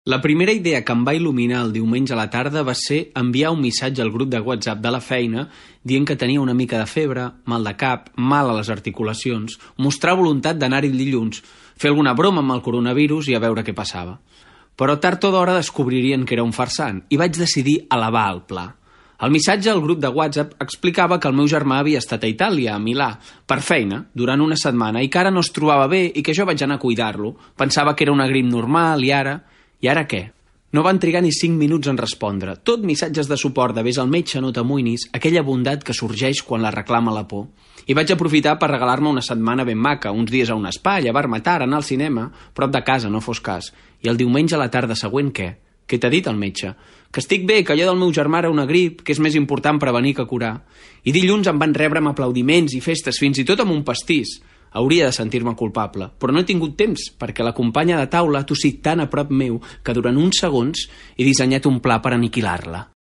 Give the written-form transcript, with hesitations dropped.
La primera idea que em va il·luminar el diumenge a la tarda va ser enviar un missatge al grup de WhatsApp de la feina dient que tenia una mica de febre, mal de cap, mal a les articulacions, mostrar voluntat d'anar-hi el dilluns, fer alguna broma amb el coronavirus i a veure què passava. Però tard o d'hora descobririen que era un farsant i vaig decidir elevar el pla. El missatge al grup de WhatsApp explicava que el meu germà havia estat a Itàlia, a Milà, per feina, durant una setmana, i que ara no es trobava bé i que jo vaig anar a cuidar-lo. Pensava que era una grip normal i ara... I ara què? No van trigar ni 5 minuts en respondre. Tot missatges de suport de vés al metge, no t'amoïnis, aquella bondat que sorgeix quan la reclama la por. I vaig aprofitar per regalar-me una setmana ben maca, uns dies a un spa, llevar-me tard, anar al cinema, prop de casa, no fos cas. I el diumenge a la tarda següent què? Què t'ha dit el metge? Que estic bé, que allò del meu germà era una grip, que és més important prevenir que curar. I dilluns em van rebre amb aplaudiments i festes, fins i tot amb un pastís. Hauria de sentir-me culpable, però no he tingut temps, perquè la companya de taula ha tossit tan a prop meu que durant uns segons he dissenyat un pla per aniquilar-la.